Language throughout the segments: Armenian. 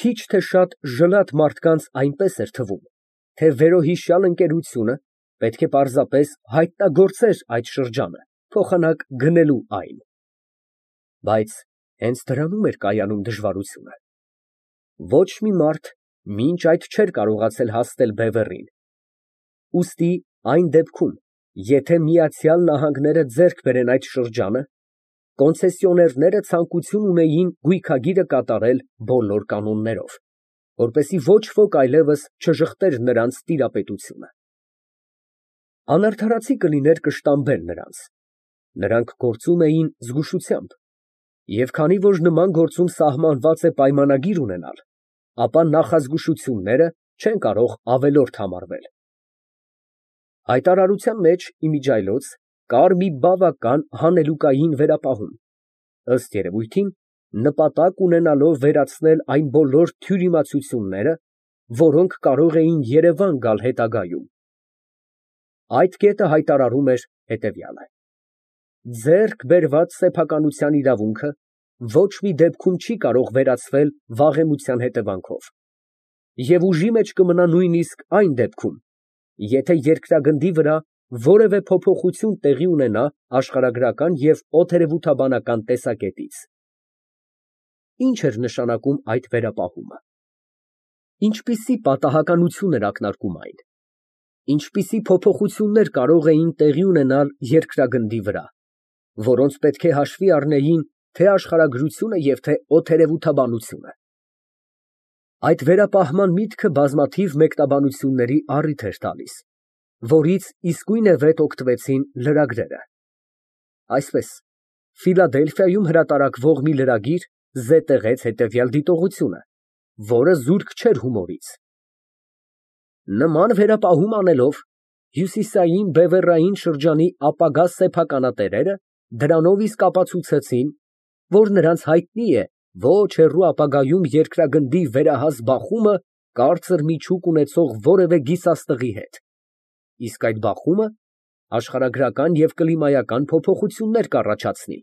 քիչ թե շատ ժլատ մարդկանց այնպես էր թվում, թե վերոհիշյալ ընկերությունը պետք է պարզապես հայտնագործեր այդ շրջանը, փոխանակ գնելու այն։ Բայց հենց դրանում էր կայանում դժվարությունը։ Ոչ մի մարդ մինչ այդ չէր կարողացել հասնել բևեռին։ Ուստի այն դեպքում, եթե Միացյալ Նահանգները ձեռք բերեն այդ շրջանը, կոնցեսիոներները ցանկություն ունեին գույքագիրը կատարել բոլոր կանոններով, որպեսզի ոչ ոք այլևս չժխտեր նրանց տիրապետությունը։ Անարդարացի կլիներ կշտամբել նրանց։ Նրանք գործում էին զգուշությամբ, և քանի որ նման գործում սահմանված է պայմանագիր ունենալ, ապա նախազգուշությունները չեն կարող ավելորդ համարվել։ Հայտարարության մեջ, իմիջիայլոց, կար մի բավական հանելուկային վերապահում, ըստ երևույթին, նպատակ ունենալով վերացնել այն բոլոր թյուրիմացությունները, որոնք կարող էին Երևան գալ հետագայում։ Այդ կետը հայտարարում էր հետևյալը. ձեռք բերված սեփականության իրավունքը ոչ մի դեպքում չի կարող վերացվել վաղեմության հետևանքով, և ուժի մեջ կմնա նույնիսկ այն դեպքում, եթե երկրագնդի վրա որևէ փոփոխություն տեղի ունենա աշխարհագրական և օդերևութաբանական տեսակետից։ Ինչ էր նշանակում այդ վերապահումը։ Ինչպիսի պատահականություն էր ակնարկում այն։ Ինչպիսի փոփոխություններ կարող էին տեղի ունենալ երկրագնդի վրա, որոնց պետք է հաշվի առնեին թե աշխարհագրությունը և թե օդերևութաբանությունը։ Այդ վերապահման միտքը բազմաթիվ մեկնաբանությունների առիթ էր տալիս, որից իսկույնևեթ օգտվեցին լրագրերը։ Այսպես, Ֆիլադելֆիայում հրատարակվող մի լրագիր զետեղեց հետևյալ դիտողությունը, որը զուրկ չէր հումորից. նման վերապահում անելով, հյուսիսային բևեռային շրջանի ապագա սեփականատերերը դրանով իսկ ապացուցեցին, որ նրանց հայտնի է ոչ հեռու ապագայում երկրագնդի վերահաս բախումը կարծր միջուկ ունեցող որևէ գիսաստղի հետ, իսկ այդ բախումը աշխարհագրական և կլիմայական փոփոխություններ կառաջացնի։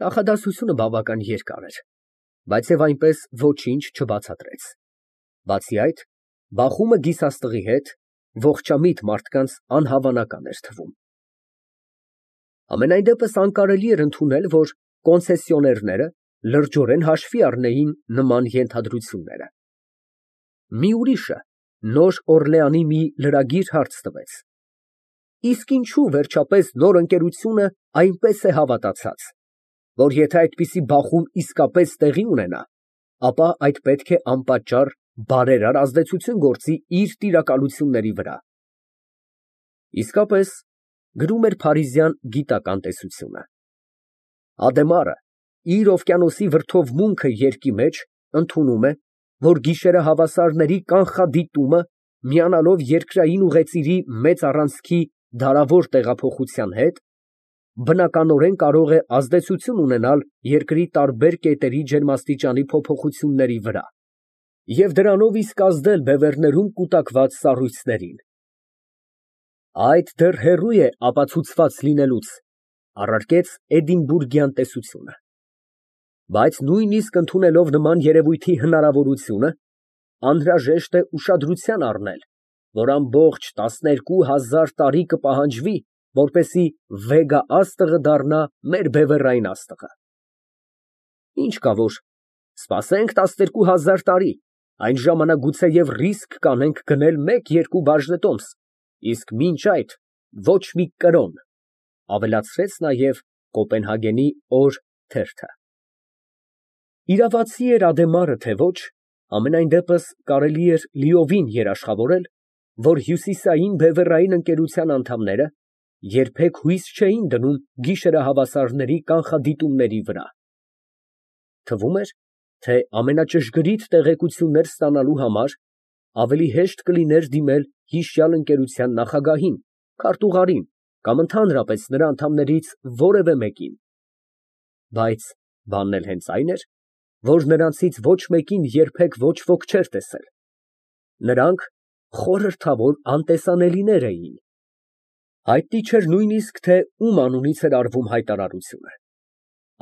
Նախադասությունը բավական երկար էր, բայց և այնպես ոչինչ չբացատրեց։ Բացի այդ, բախումը գիսաստղի հետ ողջամիտ մարդկանց անհավանական էր թվում։ Համենայն դեպս անկարելի էր ընդունել, որ կոնցեսիոներները լրջորեն հաշվի առնեին նման ենթադրությունները։ Մի ուրիշը Նոր Օրլեանի մի լրագիր հարց տվեց. իսկ ինչու վերջապես նոր ընկերությունը այնպես է հավատացած, որ եթե այդպիսի բախում իսկապես տեղի ունենա, ապա այդ պետք է անպատճառ բարերար ազդեցություն գործի իր տիրակալությունների վրա։ Իսկապես, գրում էր փարիզյան գիտական տեսությունը, Ադեմարը իր օվկիանոսի վրդովմունքը երկի մեջ ընդունում է, որ գիշերահավասարների կանխադիտումը միանալով երկրային ուղեծիրի մեծ առանցքի դարավոր տեղափոխության հետ, բնականորեն կարող է ազդեցություն ունենալ երկրի տարբեր կետերի ջերմաստիճանի փոփոխությունների վրա և դրանով իսկ ազդել բևեռներում կուտակված սառույցներին։ Այդ դեռ հեռու է ապացուցված լինելուց, առարկեց Էդինբուրգյան տեսությունը։ Բայց նույնիսկ ընդունելով նման երևույթի հնարավորությունը, անհրաժեշտ է ուշադրության առնել, որ ամբողջ 12000 տարի կպահանջվի, որպեսզի Վեգա աստղը դառնա մեր բևեռային աստղը։ Ինչ կա որ սպասենք 12000 տարի, այն ժամանակ գուցեև ռիսկ կանենք գնել 1-2 բաժնետոմս, իսկ մինչ այդ ոչ մի կրոն, ավելացրեց նաև Կոպենհագենի օր թերթը։ Իրավացի էր Ադեմարը, թե ոչ, համենայն դեպս կարելի էր լիովին երաշխավորել, որ հյուսիսային բևեռային ընկերության անդամները երբեք հույս չէին դնում գիշերահավասարների կանխադիտումների վրա։ Թվում էր, թե ամենաճշգրիտ տեղեկություններ ստանալու համար ավելի հեշտ կլիներ դիմել հիշյալ ընկերության նախագահին, քարտուղարին կամ ընդհանրապես նրա անդամներից որևէ մեկին։ Բայց բանն էլ հենց այն էր, որ նրանցից ոչ մեկին երբեք ոչ ոք չէր տեսել։ Նրանք խորհրդավոր անտեսանելիներ էին։ Հայտնի չէր նույնիսկ, թե ում անունից էր արվում հայտարարությունը։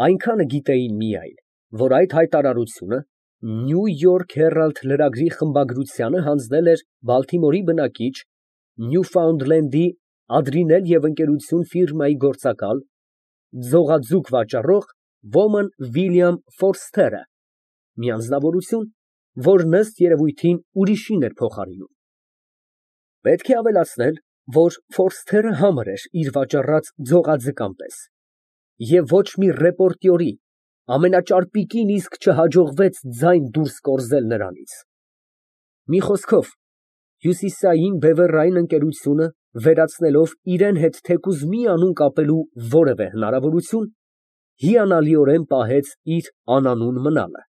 Այնքանը գիտեին միայն, որ այդ հայտարարությունը Նյու Յորք Հերալդ լրագրի խմբագրությանը հանձնել էր Բալթիմորի բնակիչ, Նյուֆաունդլենդի Ադրինել և Ընկերություն ֆիրմայի գործակալ, ձողաձուկ վաճառող ոմն Վիլյամ Ֆորսթերը, մի անձնավորություն, որն ըստ երևույթին ուրիշին էր փոխարինում։ Պետք է ավելացնել, որ Ֆորսթերը համր էր իր վաճառած ձողաձկան պես, և ոչ մի ռեպորտյորի ամենաճարպիկին իսկ չհաջողվեց ձայն դուրս կորզել նրանից։ Մի խոսքով, հյուսիսային բևեռային ընկերությունը, վերացնելով իրան հետ թեկուզ մի անուն կապելու որևէ հնարավորություն, հիանալիորեն պահեց իր անանուն մնալը։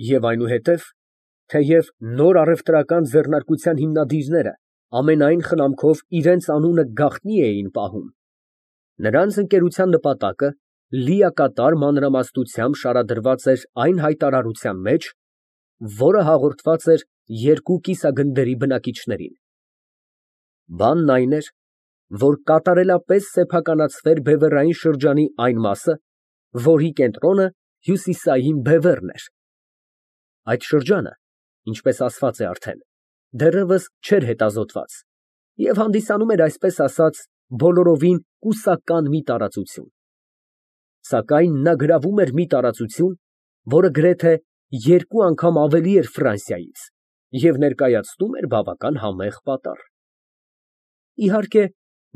Եվ այնուհետև, թեև նոր առևտրական ձեռնարկության հիմնադիրները ամենայն խնամքով իրենց անունը գաղտնի էին պահում, նրանց ընկերության նպատակը լիակատար մանրամասնությամբ շարադրված էր այն հայտարարության մեջ, որը հաղորդված էր երկու կիսագնդերի բնակիչներին։ Բանն այն էր, որ կատարելապես սեփականացվեր բևեռային շրջանի այն մասը, որի կենտրոնը հյուսիսային բևեռն էր։ Այդ շրջանը, ինչպես ասված է արդեն, դեռևս չէր հետազոտված և հանդիսանում էր, այսպես ասած, բոլորովին կուսական մի տարածություն։ Սակայն նա գրավում էր մի տարածություն, որը գրեթե երկու անգամ ավելի էր Ֆրանսիայից և ներկայացնում էր բավական համեղ պատառ։ Իհարկե,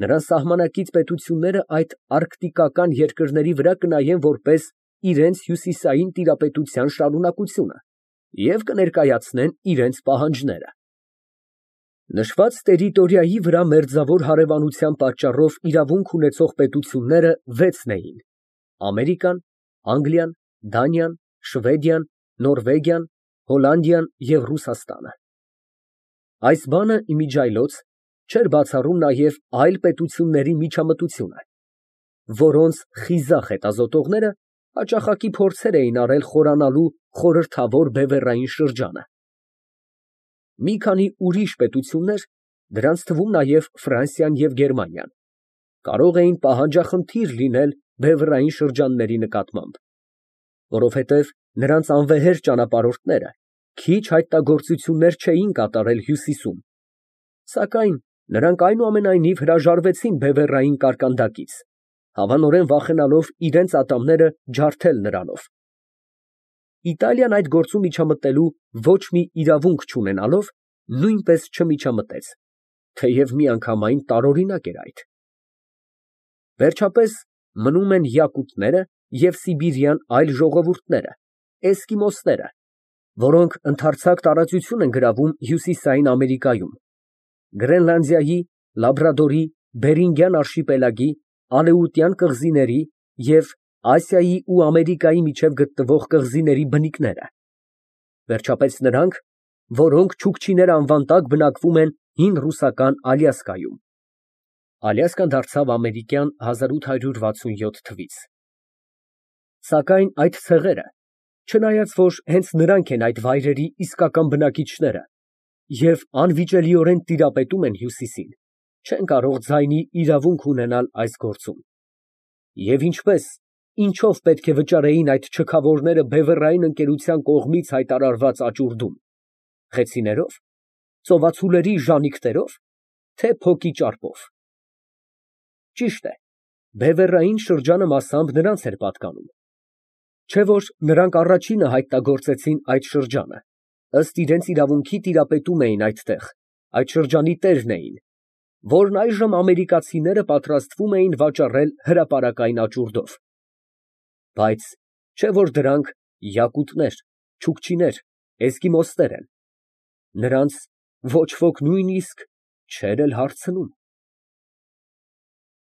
նրան սահմանակից պետությունները այդ արկտիկական երկրների վրա կնայեն որպես իրենց հյուսիսային տիրապետության շարունակությունը և կներկայացնեն իրենց պահանջները։ Նշված տերիտորիայի վրա մերձավոր հարևանության պատճառով իրավունք ունեցող պետությունները վեցն էին. Ամերիկան, Անգլիան, Դանիան, Շվեդիան, Նորվեգիան, Հոլանդիան և Ռուսաստանը։ Այս բանը իմիջիայլոց չէր բացառում նաև այլ պետությունների միջամտությունը, որոնց խիզախ հետազոտողները հաճախակի փորձեր էին արել խորանալու խորհրդավոր բևեռային շրջանը։ Մի քանի ուրիշ պետություններ, դրանց թվում նաև Ֆրանսիան և Գերմանիան, կարող էին պահանջախնդիր լինել բևեռային շրջանների նկատմամբ, որովհետև նրանց անվեհեր ճանապարհորդները քիչ հայտնագործություններ չէին կատարել հյուսիսում, սակայն նրանք այնուամենայնիվ հրաժարվեցին բևեռային կարկանդակից, հավանորեն վախենալով իրենց ատամները ջարդել նրանով։ Իտալիան այդ գործում միջամտելու ոչ մի իրավունք չունենալով, նույնպես չմիջամտեց, թեև միանգամայն տարօրինակ էր այդ։ Վերջապես մնում են յակուտները և սիբիրյան այլ ժողովուրդները, էսկիմոսները, որոնք ընդարձակ տարածություն են գրավում Հյուսիսային Ամերիկայում, Գրենլանդիայի, Լաբրադորի, Բերինգյան արշիպելագի, Ալեուտյան կղզիների և Ասիայի ու Ամերիկայի միջև գտնվող կղզիների բնիկները, վերջապես նրանք, որոնք չուկչիներ անվան տակ բնակվում են հին ռուսական Ալյասկայում (Ալյասկան դարձավ ամերիկյան 1867 թվից)։ Սակայն այդ ցեղերը, չնայած որ հենց նրանք են այդ վայրերի իսկական բնակիչները և անվիճելիորեն տիրապետում են հյուսիսին, չեն կարող ձայնի իրավունք ունենալ այս գործում։ Եվ ինչպես, ինչով պետք է վճարեին այդ չքավորները բևեռային ընկերության կողմից հայտարարված աճուրդում, խեցիներով, ծովածուլերի ժանիքներով, թե փոկի ճարպով։ Ճիշտ է, բևեռային շրջանը մասամբ նրանց էր պատկանում, չէ՞ որ նրանք առաջինը հայտնագործեցին այդ շրջանը, ըստ իրենց իրավունքի տիրապետում էին այդտեղ, այդ շրջանի տերն էին, որն այժմ ամերիկացիները պատրաստվում էին վաճառել հրապարակային աճուրդով։ Բայց չէ՞ որ դրանք յակուտներ, չուկչիներ, էսկիմոսներ են, նրանց ոչ ոք նույնիսկ չէր էլ հարցնում։